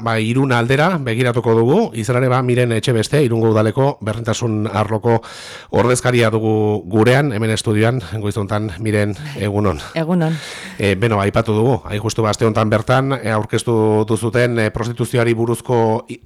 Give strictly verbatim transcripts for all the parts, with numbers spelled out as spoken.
ba, Irun aldera begiratuko dugu, izan ere ba, Miren Etxebeste, Irungo udaleko berdintasun arloko ordezkaria dugu gurean, hemen estudioan, goizuntan, Miren, egunon. Egunon. E, beno, aipatu dugu, hain justu ba, aste honetan bertan, e, aurkeztu duzuten e, prostituzioari buruzko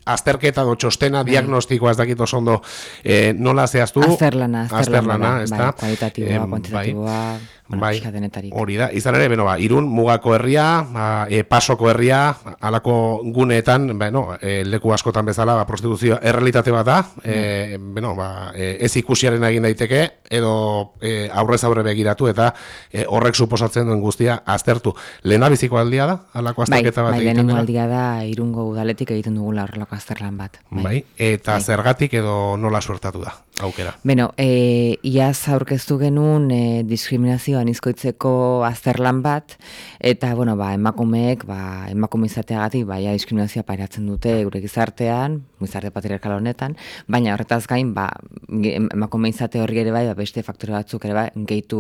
azterketa do txostena, bai. Diagnostikoa ez dakit oso ondo e, nola zehaztu. Azterlana, azterlana, ez bai, da. kualitatiboa, e, kuantitatiboa, bai. Bueno, bai, denetarik. Hori da, izan ere, beno, ba, Irun mugako herria, ba, e, pasoko herria, alako guneetan, beno, e, leku askotan bezala, ba, prostituzio errealitate bat da, e, beno, ba, e, ez ikusiaren egin daiteke, edo e, aurrez aurre begiratu, eta e, horrek suposatzen duen guztia aztertu. Lehendabiziko aldia da, alako azterketa bat bai, egiten lehenengo dela? aldia da, Irungo udaletik egiten dugula horrelako azterlan bat. Bai, bai. Eta bai. Zergatik edo nola suertatu da, aukera? Beno, e, iaz aurkeztu genuen e, diskriminazio anizkoitzeko azterlan bat, eta, bueno, ba, emakumeek, ba, emakume izateagatik, ba, ja, diskriminazioa pairatzen dute gure gizartean, gizarte patriarkal honetan, baina horretaz gain, ba, emakume izate horri ere bai, ba, beste faktore batzuk ere bai, gehitu,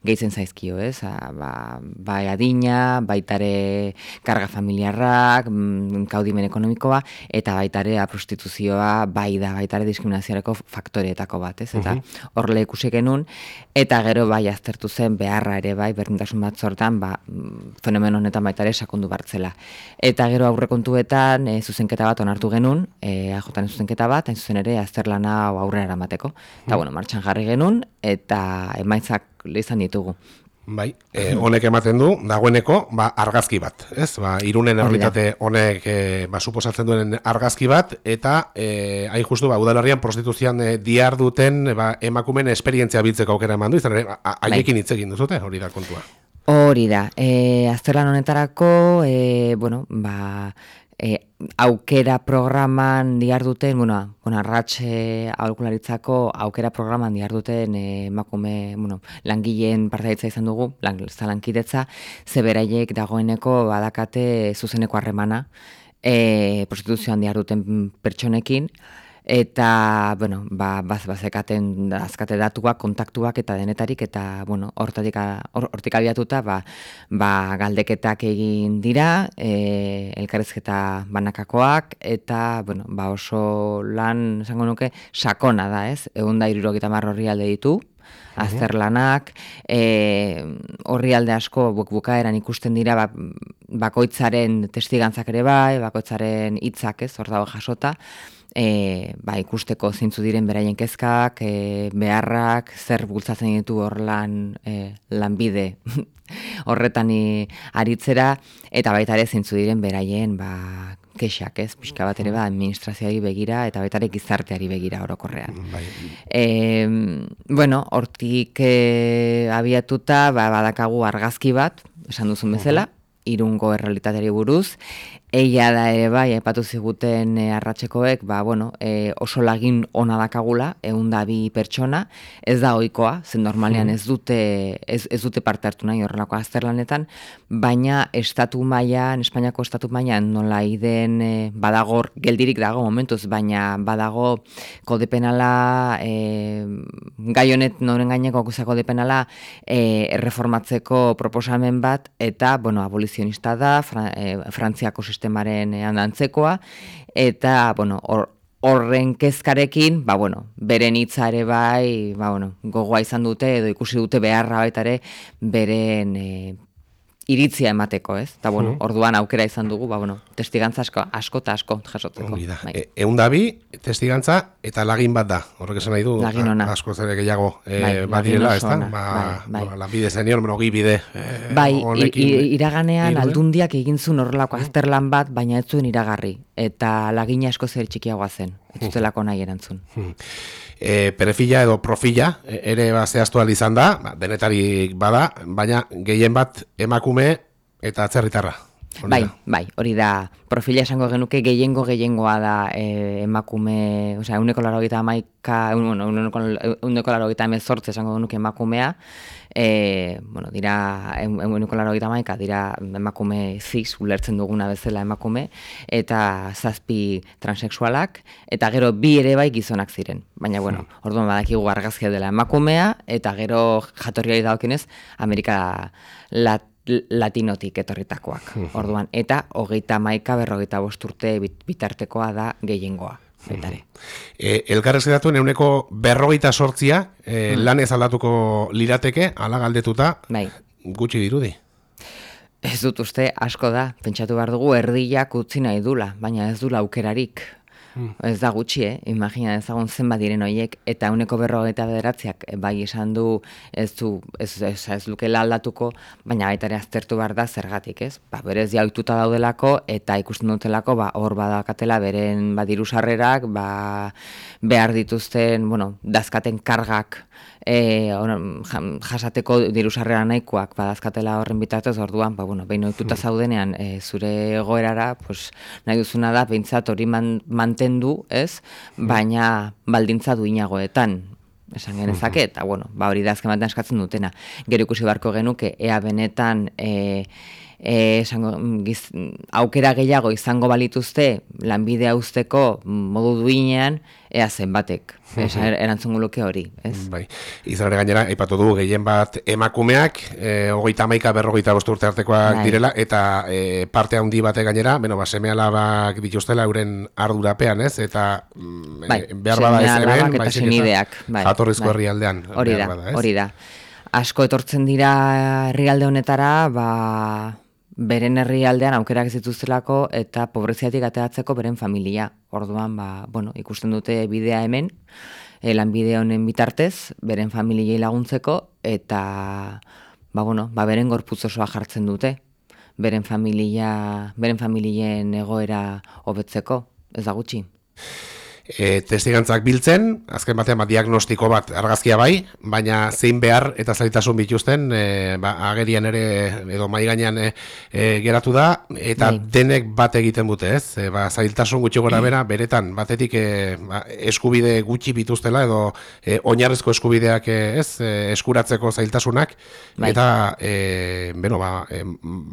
gehitzen zaizkio, ez? A, ba, bai adina, baitare karga familiarrak, kaudimen ekonomikoa, eta baitare prostituzioa, bai da, baitare diskriminazioareko faktoreetako bat, ez? Eta hor lehikusi genuen, eta gero bai aztertu zen beharra ere bai, berdintasun bat sortan, ba, fenomeno honetan baita ere sakondu bartzela. Eta gero aurrekontuetan e, zuzenketa bat onartu genuen, e, A Jaren zuzenketa bat, hain zuzen ere azterlana aurrera eramateko. Eta, bueno, martxan jarri genuen, eta emaitzak izan ditugu. Bai, e, honek ematen du, dagoeneko, ba, argazki bat, ez? Ba, Irunen errealitate honek, e, ba, suposatzen duen argazki bat, eta, e, hain justu, ba, udalerrian prostituzioan e, diar duten, ba, emakumen esperientzia biltzeko aukera eman du, izan ere, haiekin hitz egin duzute, hori da kontua. Hori da, e, azterlan honetarako, e, bueno, ba, e, aukera programan diharduten, bueno, bueno arratxe aholkularitzako aukera programan diharduten emakume, bueno, langileen partaidetza izan dugu, lan, lankidetza, ze beraiek dagoeneko badakate zuzeneko harremana, e, prostituzioan diharduten pertsonekin, eta, bueno, ba, baz, bazekaten azkate datuak, kontaktuak eta denetarik, eta, bueno, hortik, hortik abiatuta, ba, ba, galdeketak egin dira, e, elkarrizketa banakakoak, eta, bueno, ba, oso lan, esango nuke, sakona da, ez? Ehun eta hirurogeita hamar orrialde ditu, azterlanak, e, orrialde asko buk bukaeran ikusten dira ba, bakoitzaren testigantzak ere bai, bakoitzaren hitzak, ez, hor dago jasota, E, ba, ikusteko zeintzu diren beraien kezkak, e, beharrak, zer bultzatzen ditu hor lan, e, lanbide horretan aritzera, eta baita ere zeintzu diren beraien ba, kexak, ez, pixka bat ere ba, administrazioari begira, eta baita ere gizarteari begira orokorrean. Bai. E, bueno, hortik e, abiatuta, ba, badakagu argazki bat, esan duzun bezala, Irungo errealitateari buruz, egia da ere bai, aipatu ziguten e, arratsekoek, ba, bueno, e, oso lagin ona dakagula, ehun eta bi pertsona, ez da ohikoa, zen normalean ez dute, ez, ez dute parte hartu nahi horrelako azterlanetan, baina estatu mailan, Espainiako estatu mailan nola iden e, badago, geldirik dago momentuz, baina badago kode penala, e, gai honet noren gaineko kode penala e, erreformatzeko proposamen bat, eta, bueno, abolizionista da, Fra, e, Frantziako sistemaren antzekoa, eta, bueno, hor, horren kezkarekin, ba, bueno, beren hitza ere bai, ba, bueno, gogoa izan dute, edo ikusi dute beharra baita ere, beren e, iritzia emateko, ez? Eta, bueno, mm. orduan aukera izan dugu, ba, bueno, testigantza asko, asko eta asko jasotzeko. Hori da. E, egun da bi, testigantza eta lagin bat da. Horrek esan nahi du, asko zere gehiago e, bai, badirela, ez da? Ba, bai, bai. Lanbide senior, monogi bide e, bai, honekin. Iraganean iruden? Aldundiak egin zuen horrelako mm. azterlan bat, baina ez zuen iragarri. Eta lagina asko zer txikiagoa zen. Ez zutelako nahi erantzun. Mm. E, perefila edo profila ere ba, zehaztu ahal izan da, ba, denetarik bada, baina gehien bat emakume eta atzerritarra. Bai, bai, hori da, profila esango genuke gehiengo gehiengoa da e, emakume, osea, euneko laurogeita hamaika, euneko laurogeita hemezortzi esango genuke emakumea, e, bueno, dira, euneko laurogeita hamaika dira emakume cis, ulertzen duguna bezala emakume, eta zazpi transexualak, eta gero bi ere bai gizonak ziren. Baina, bueno, orduan badakigu argazkia dela emakumea, eta gero jatorriari dagokienez, Amerika Lat latinotik etorritakoak, orduan, eta hogeita hamaika berrogeita bost urte bitartekoa da gehiengoa. E, elkarrezketatuen euneko berrogeita sortzia e, hmm. lan ez aldatuko lirateke, ala galdetuta, bai. Gutxi dirudi. Ez dut uste asko da, pentsatu behar dugu erdiak utzi nahi dula, baina ez dula aukerarik. Hmm. Ez da gutxi, eh? Imagina ezagun zenbat diren horiek, eta uneko berrogeita bederatziak bai esan du ez du, ez, ez, ez lukela aldatuko, baina baita ere aztertu behar da zergatik, ez? Ba, berez jaituta daudelako, eta ikusten dutelako, ba, hor badakatela beren badiru sarrerak, ba, behar dituzten, bueno, dazkaten kargak, E, on, jasateko diru sarrera nahikoak badazkatela horren bitartez, orduan, ba, bueno, behin ohituta zaudenean e, zure egoerara, pues, nahi duzuna da, behintzat hori man, mantendu, ez? Baina baldintza duinagoetan, esan genezake, eta bueno, ba, hori da azken batean eskatzen dutena. Gero ikusi beharko genuke, ea benetan e, e, esango, giz, aukera gehiago izango balituzte lanbidea uzteko modu duinean, ea zenbatek. Esa, erantzungo luke hori, ez? Bai. Izan ere gainera, aipatu du gehien bat emakumeak, e, hogeita hamaika berrogeita bost urte artekoak bai. Direla, eta e, parte handi bate gainera, beno, ba, seme alabak dituztela euren ardurapean, ez? Eta bai, e, behar bada ez hemen, bai, senideak, bai, jatorrizko bai. Herrialdean. Hori da, bada, hori da. Asko etortzen dira herrialde honetara, ba, beren herrialdean aukerak ez dituztelako eta pobreziatik ateratzeko beren familia. Orduan, ba, bueno, ikusten dute bidea hemen, e, lanbide honen bitartez, beren familiei laguntzeko, eta ba, bueno, ba, beren gorputz osoa jartzen dute, beren familia, beren familien egoera hobetzeko, ez da gutxi. E, testigantzak biltzen, azken batean ba, diagnostiko bat argazkia bai, baina zein behar eta zailtasun bituzten e, ba, agerian ere edo mai gainean e, e, geratu da, eta bai. Denek bat egiten dute, ez? E, ba, zailtasun gutxi gora bera, beretan, batetik e, ba, eskubide gutxi bituztela edo e, oinarrizko eskubideak e, ez, e, eskuratzeko zailtasunak, bai. Eta e, beno, ba, e,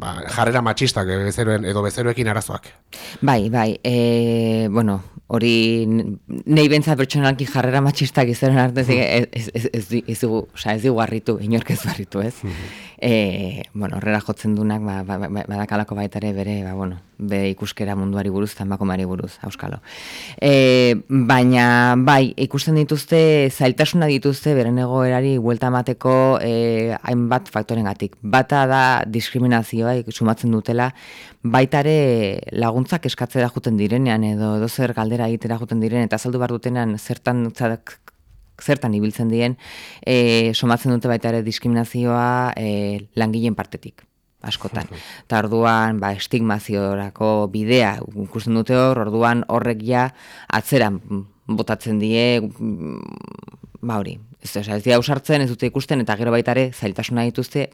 ba, jarrera matxistak e, bezeroen, edo bezeroekin arazoak. Bai, bai, e, bueno, hori nahi bentzat pertsonalki jarrera matxistak izaren arte ez, ez, ez, ez, ez, dugu, oza, ez dugu harritu, inork ez barritu, ez? E, bueno, horrela jotzen dunak, ba, ba, ba, badakalako baitare bere, ba, bueno, be ikuskera munduari buruz, eta emakumeari buruz, auskalo. E, baina, bai, ikusten dituzte, zailtasuna dituzte, beren egoerari buelta emateko e, hainbat faktorengatik. Bata da diskriminazioa, sumatzen dutela, baitare laguntzak eskatzera juten direnean, edo edo zer galdera egitera juten direnean, eta azaldu behar dutenean zertan zertan ibiltzen dien, e, somatzen dute baita ere diskriminazioa e, langileen partetik, askotan. Eta orduan, ba, estigmaziorako bidea ikusten dute hor, orduan horrek ja atzeran botatzen die, ba hori, ez, ez dira ausartzen, ez dute ikusten, eta gero baita ere zailtasuna dituzte,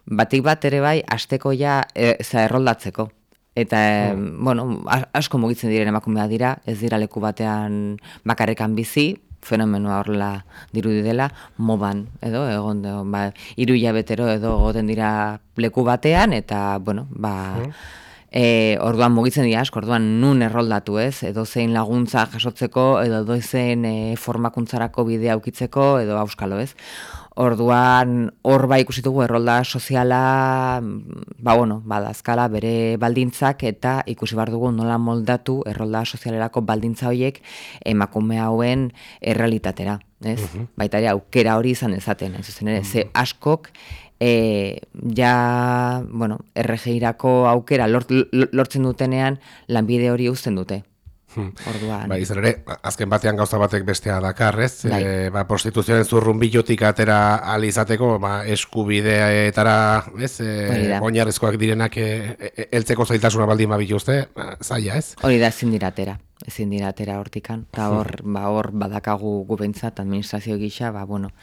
batik bat ere bai, asteko ja e, za erroldatzeko. Eta, mm. bueno, asko mugitzen diren emakumea dira, ez dira leku batean bakarrekan bizi, fenomenoa horrela dirudi dela, modan, edo, egon, edo, ba, hiru hilabetero edo goten dira leku batean, eta, bueno, ba, mm. e, orduan mugitzen dira asko, orduan nun erroldatu, ez, edo zein laguntza jasotzeko, edo edo zein e, formakuntzarako bidea aukitzeko, edo auskalo, ez. Orduan, hor ba ikusi dugu errolda soziala, ba bueno, badazkala bere baldintzak eta ikusi behar dugu nola moldatu errolda sozialerako baldintza horiek emakume hauen errealitatera, ez? Uh-huh. Baita ere aukera hori izan dezaten, ez zuzen ere, uh-huh. Ze askok e, ja, bueno, erre ge irako aukera lort, lortzen dutenean lanbide hori uzten dute. Orduan. Ba, izan ere, azken batean gauza batek bestea dakar, ez? Bai. E, ba, prostituzioaren zurrunbilotik atera ahal izateko, ba, eskubideetara, ez? E, oinarrizkoak direnak e, e, eltzeko zailtasuna baldin babituzte, ba, zaila, ez? Hori da, ezin diratera. Ezin diratera hortikan. Eta hor, ba, hor badakagu gubentzat, administrazio gisa, ba, bueno,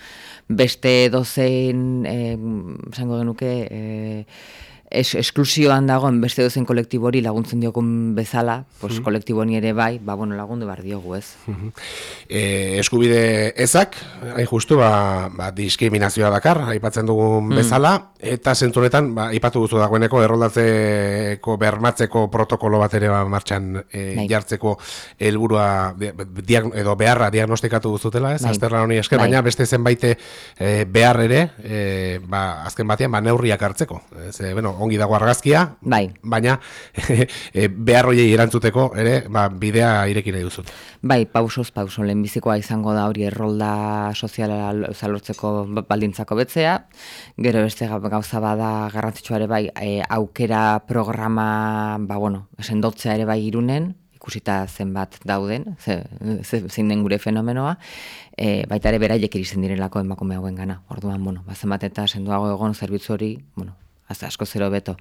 beste dozein, eh, esango genuke, eh, es, esklusioan dagoen beste dozen kolektibo hori laguntzen diogun bezala, pues, mm. kolektibo honi ere bai, ba, bueno, lagundu behar diogu, ez? E, eskubide ezak, hain justu, ba, ba, diskriminazioa dakar, aipatzen dugun mm. bezala, eta zentzunetan, ba, aipatu duzu dagoeneko, erroldatzeko, bermatzeko protokolo bat ere ba, martxan e, jartzeko helburua edo beharra diagnostikatu duzutela, ez? Azterlan honi esker, baina beste zenbait e, behar ere, e, ba, azken batean, ba, neurriak hartzeko. Ez, e, bueno, ongi dago argazkia, bai. Baina e, behar hoiei erantzuteko ere ba, bidea ireki nahi duzut. Bai, pausoz pauso, lehenbizikoa izango da hori errolda soziala lortzeko baldintzako betzea, gero beste gauza bada garrantzitsua ere bai, e, aukera programa, ba bueno, sendotzea ere bai Irunen, ikusita zenbat dauden, ze, ze, zein den gure fenomenoa, e, baita ere beraiek iristen direlako emakume hauen gana. Orduan, bueno, ba, zenbat eta sendoago egon zerbitzu hori, bueno, asko zero beto.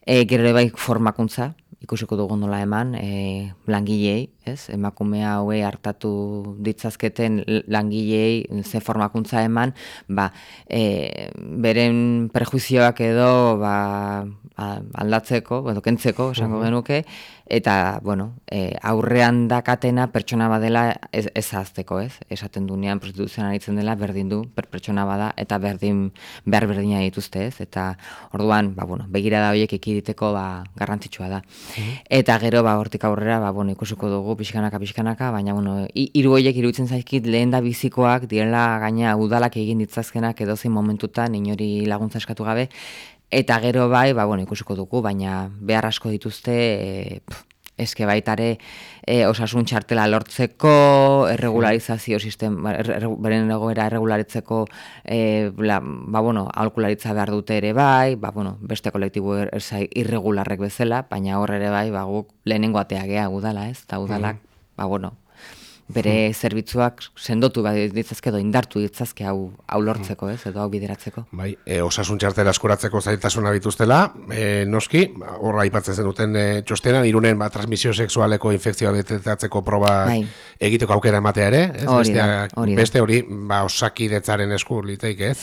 E, gero ere bai formakuntza, ikusiko dugu nola eman, e, langilei, ez? Emakume haue hartatu ditzazketen langilei ze formakuntza eman, ba, e, beren prejuizioak edo ba, aldatzeko, edo kentzeko, esango genuke, eta, bueno, e, aurrean dakatena pertsona badela ez, ez azteko, ez? Esaten dunean prostituzioan aritzen dela berdin du, per pertsona bada, eta berdin, behar berdina dituzte, ez? Eta, orduan, ba, bueno, begirada horiek ekiditeko, ba, garrantzitsua da. Eta gero, ba, hortik aurrera, ba, bueno, ikusiko dugu pixkanaka, pixkanaka, baina, bueno, hiru horiek iruditzen zaizkit lehen da bizikoak, direla gaina udalak egin ditzazkenak edozein momentutan, inori laguntza eskatu gabe, eta gero bai, ba, bueno, ikusiko dugu, baina behar asko dituzte, e, pff, eske baitare e, osasun txartela lortzeko, erregularizazio sistema, er, beren egoera erregularitzeko, e, la, ba, bueno, aholkularitza behar dute ere bai, ba, bueno, beste kolektibo er, irregularrek bezala, baina hor ere bai, ba, guk lehenengo atea gea udala, ez? Eta udalak, ba, bueno, bere zerbitzuak sendotu ditzazke edo indartu ditzazke hau, hau lortzeko, ez, edo hau bideratzeko. Bai, e, osasun txartela eskuratzeko zailtasuna bituztela, e, noski, horra aipatzen zenuten e, txostenan, Irunen ba, transmisio sexualeko infekzioa detetatzeko proba bai. Egiteko aukera ematea ere, ez? Hori da, hori da. Beste hori, ba, osakidetzaren esku liteik, ez?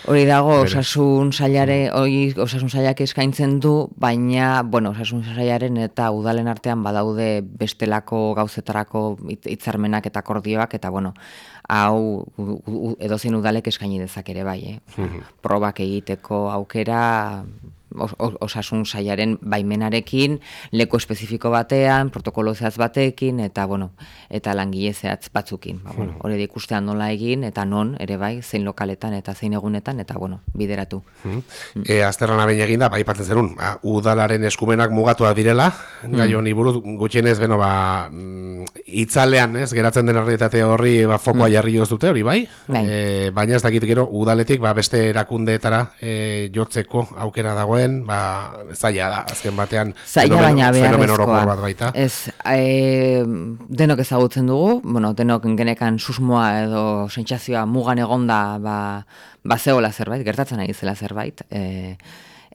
Hori dago, osasun sailare, hori osasun sailak eskaintzen du, baina, bueno, osasun sailaren eta udalen artean badaude bestelako gauzetarako hitzarmenak eta akordioak, eta, bueno, hau edozein udalek eskaini dezak ere bai, eh? Mm-hmm. Probak egiteko aukera, os, osasun sailaren baimenarekin, leku espezifiko batean, protokolo zehatz batekin, eta, bueno, eta langile zehatz batzukin. Ba, bueno, hori da ikustean nola egin, eta non, ere bai, zein lokaletan eta zein egunetan, eta, bueno, bideratu. Mm-hmm. E, azterlana behin eginda, ba, aipatzen zerun, ba, udalaren eskumenak mugatuak direla, mm. gai honi buruz, gutxienez, beno, ba, itzalean, ez, geratzen den errealitate horri, ba, fokoa mm. jarri dute hori, bai? Bai. E, baina ez dakit gero, udaletik, ba, beste erakundeetara e, jotzeko aukera dagoen, ba, zaila da, azken batean zaila baina beharrezkoa bat baita. Ez, e, denok ezagutzen dugu, bueno, denok genekan susmoa edo sentsazioa mugan egonda ba, ba zegoela zerbait, gertatzen ari zela zerbait, e,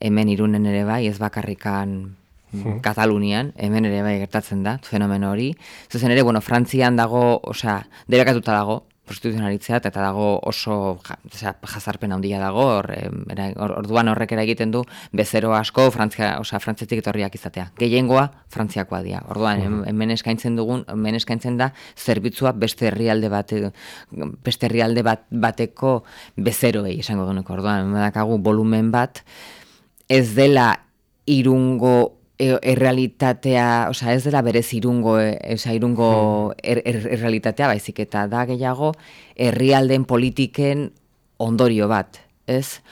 hemen Irunen ere bai, ez bakarrikan hmm. Katalunian, hemen ere bai gertatzen da, fenomeno hori. Zuzen ere, bueno, Frantzian dago, osea, derakatuta dago, prostituzionalitzea, eta dago oso ja, jazarpen handia dago, or, or, orduan horrek ere egiten du bezero asko Frantzia, osea, frantzetik etorriak izatea. Gehiengoa frantziakoa dira. Orduan, mm. hemen eskaintzen dugun, hemen eskaintzen da zerbitzua beste herrialde bate, beste herrialde bat, bateko bezeroei esango dueneko. Orduan, hemen dakagu volumen bat, ez dela Irungo errealitatea, osea, ez dela berez irungo, osea, irungo er, er, errealitatea, baizik eta da gehiago herrialden politiken ondorio bat, ez?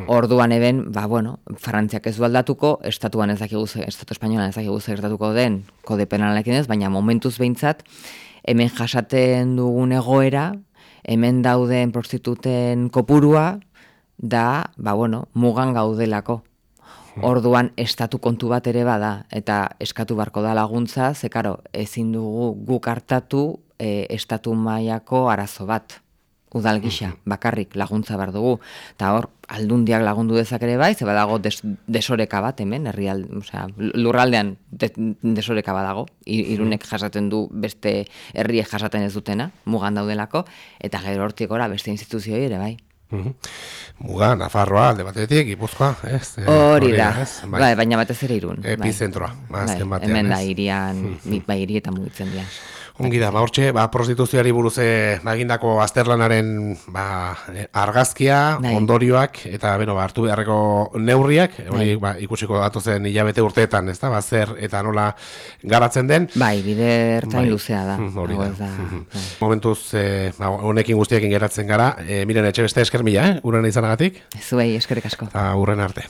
Orduan eben, ba, bueno, Frantziak ez du aldatuko, estatuan ez dakigu, estatu espainolan ez dakigu gertatuko den kode penalarekin ez, baina momentuz behintzat, hemen jasaten dugun egoera, hemen dauden prostituten kopurua, da, ba, bueno, mugan gaudelako. Orduan estatu kontu bat ere bada, eta eskatu barko da laguntza, ze karo, ezin dugu guk hartatu e, estatu mailako arazo bat, udal gisa, bakarrik laguntza behar dugu. Eta hor, aldundiak lagundu dezak ere bai, ze badago des, desoreka bat hemen, herrialde, osea, lurraldean de, desoreka badago, Irunek jasaten du beste herriek jasaten ez dutena, mugan daudelako, eta gero hortik ora beste instituzioi ere bai. Muga, Nafarroa, alde batetik, Gipuzkoa, ez? Eh, Hori da, ez? Bai. bai, baina batez ere Irun. bai. Epizentroa, Bai, azken batean, hemen da ez? irian, bai, hirietan mugitzen dira. Ongi da, ba, hortxe, ba, prostituzioari buruz eh, ba, egindako azterlanaren ba, eh, argazkia, Bai. ondorioak, eta beno, ba, hartu beharreko neurriak, hori ba, ikusiko datozen hilabete urteetan, ez da, ba, zer eta nola garatzen den. Bai, bide ertain Bai. luzea da. Mm, hori Hau da. ez da, Mhm. bai. Momentuz, eh, ba, honekin guztiekin geratzen gara, eh, miren etxe beste esker mila, eh, uren izanagatik, Zuei, eskerrik asko. eta urren arte.